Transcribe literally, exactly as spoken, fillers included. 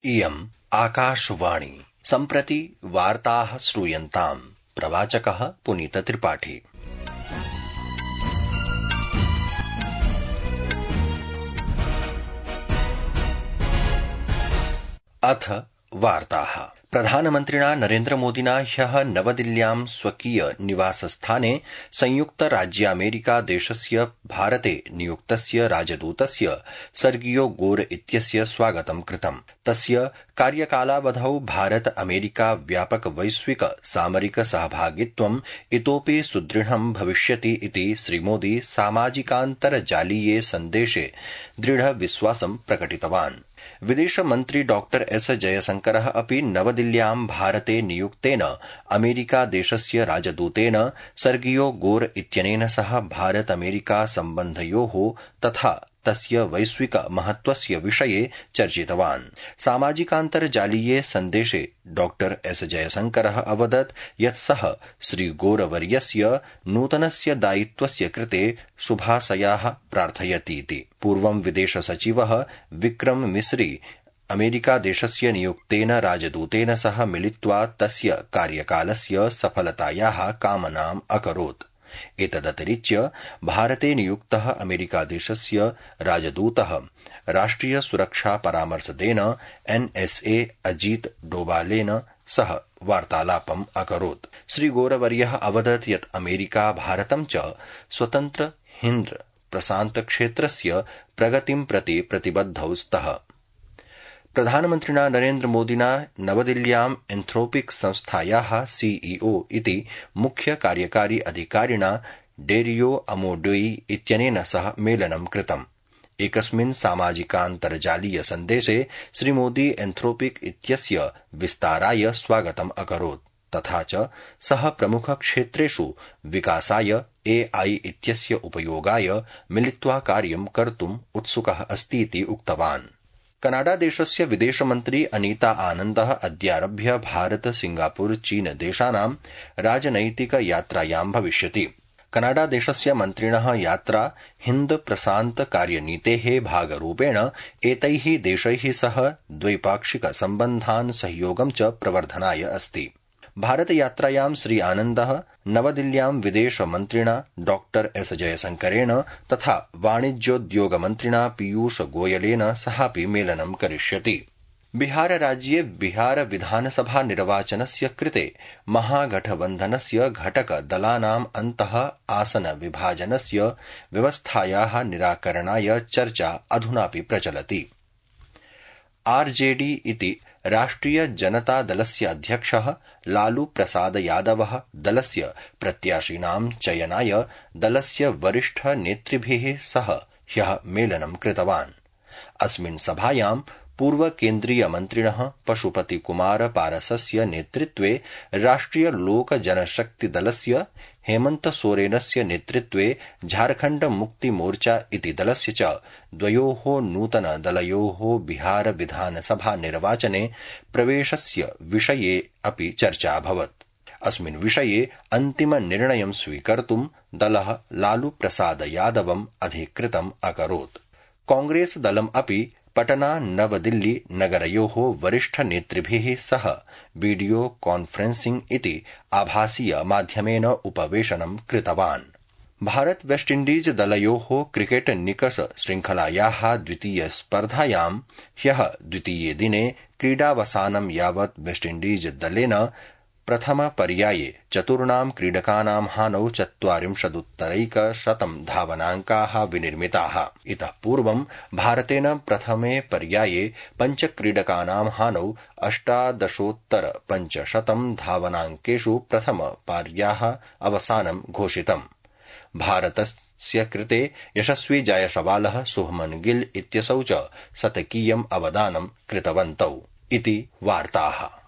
इयम् आकाशवाणी। सम्प्रति वार्ताः श्रूयन्ताम्। प्रवाचकः पुनीतत्रिपाठी। अथ वार्ताः। प्रधानमन्त्रिणा नरेन्द्रमोदिना ह्यः नवदिल्ल्यां स्वकीय निवासस्थाने संयुक्तराज्यामेरिकादेशस्य भारते नियुक्तस्य राजदूतस्य सर्गियो गोर इत्यस्य स्वागतं कृतम्। तस्य कार्यकालावधौ भारत अमेरिका व्यापक वैश्विक सामरिक सहभागित्वम् इतोपि सुदृढं भविष्यति इति श्रीमोदी सामाजिकान्तर्जालीये सन्देशे दृढ विश्वासं प्रकटितवान्। विदेशमन्त्री डॉक्टर एस जयशंकरः अपि नवदिल्ल्यां भारते नियुक्तेन अमेरिकादेशस्य राजदूतेन सर्गियो गोर इत्यनेन सह भारत अमेरिका सम्बन्धयोः तथा तस्य वैश्विक महत्वस्य विषये चर्चितवान्। सामाजिकान्तर्जालीये सन्देशे डॉक्टर एस जयशंकरः अवदत् यत् सः श्रीगोरवर्यस्य नूतनस्य दायित्वस्य कृते शुभाशयाः प्रार्थयतीति। पूर्वं विदेशसचिवः विक्रम मिस्री अमेरिकादेशस्य नियुक्तेन राजदूतेन सह मिलित्वा तस्य कार्यकालस्य सफलतायाः कामनाम् अकरोत्। एतदतिरिच्य भारते नियुक्तः अमेरिकादेशस्य राजदूतः राष्ट्रिय सुरक्षा परामर्शदेन एनएसए अजीत डोवालेन सह वार्तालापम् अकरोत्। श्रीगोरवर्यः अवदत् यत् अमेरिका भारतं च स्वतन्त्र हिन्द प्रशान्त क्षेत्रस्य प्रगतिं प्रति प्रतिबद्धौ स्तः। प्रधानमन्त्रिणा नरेन्द्रमोदिना नवदिल्ल्यां एन्थ्रोपिक संस्थायाः सीईओ इति मुख्य कार्यकारी अधिकारिणा डेरियो अमोडोई इत्यनेन सह मेलनं कृतम्। एकस्मिन् सामाजिकान्तर्जालीय सन्देशे श्रीमोदी एन्थ्रोपिक इत्यस्य विस्ताराय स्वागतम् अकरोत् तथा च सः प्रमुख क्षेत्रेषु विकासाय एआई इत्यस्य उपयोगाय मिलित्वा कार्यं कर्तुम् उत्सुकः अस्तीति उक्तवान्। कनाडादेशस्य विदेशमन्त्री अनीता आनन्दः अद्यारभ्य भारत सिंगापुर चीन देशानां राजनैतिक यात्रायां भविष्यति। कनाडादेशस्य मन्त्रिणः यात्रा हिन्द प्रशान्त कार्यनीतेः भागरूपेण एतैः देशैः सह द्वैपाक्षिक सम्बन्धान् सहयोगं च प्रवर्धनाय अस्ति। भारत यात्रायां श्री आनन्दः नवदिल्ल्यां विदेशमन्त्रिणा डॉक्टर एस जयशंकरेण तथा वाणिज्योद्योगमन्त्रिणा पीयूष गोयलेन सहापि मेलनं करिष्यति। बिहार राज्ये बिहार विधानसभा निर्वाचनस्य कृते महागठबन्धनस्य घटक दलानाम् अन्तः आसन विभाजनस्य व्यवस्थायाः निराकरणाय चर्चा अधुनापि प्रचलति। आरजेडी इति राष्ट्रिय जनता दलस्य अध्यक्षः लालू प्रसाद यादवः दलस्य प्रत्याशिनां चयनाय दलस्य वरिष्ठ नेतृभिः सह ह्यः मेलनं कृतवान्। अस्मिन् सभायां पूर्व केन्द्रीय मन्त्रिणः पशुपति कुमार पारसस्य नेतृत्वे राष्ट्रिय लोक जनशक्ति दलस्य हेमंत सोरेनस्य नेतृत्वे झारखण्ड मुक्ति मोर्चा इति दलस्य च द्वयोः नूतन दलयोः बिहार विधानसभा निर्वाचने प्रवेशस्य विषये अपि चर्चा अभवत्। अस्मिन् विषये अन्तिम निर्णयं स्वीकर्तुं दलः लालू प्रसाद यादवम् अधिकृतम् अकरोत्। कांग्रेस दलम् अपि पटना नवदिल्ली नगरयोः वरिष्ठ नेतृभिः सह वीडियो कॉन्फ्रेंसिंग इति आभासीय माध्यमेन उपवेशनं कृतवान्। भारत वेस्टइंडीज दलयोः क्रिकेट निकष श्रृंखलायाः द्वितीय स्पर्धायां ह्यः द्वितीये दिने क्रीडावसानं यावत् वेस्टइंडीज दलेन प्रथम पर्याये चतुर्णां क्रीडकानां हानौ चत्वारिंशदुत्तरैकशतं धावनाङ्काः विनिर्मिताः। इतः पूर्वं भारतेन प्रथमे पर्याये पञ्चक्रीडकानां हानौ अष्टादशोत्तर पञ्चशतं धावनाङ्केषु प्रथम पार्याः अवसानं घोषितम्। भारतस्य कृते यशस्वी जायसवालः शुभमन गिल इत्यसौ च शतकीयम् अवदानं कृतवन्तौ इति वार्ताः।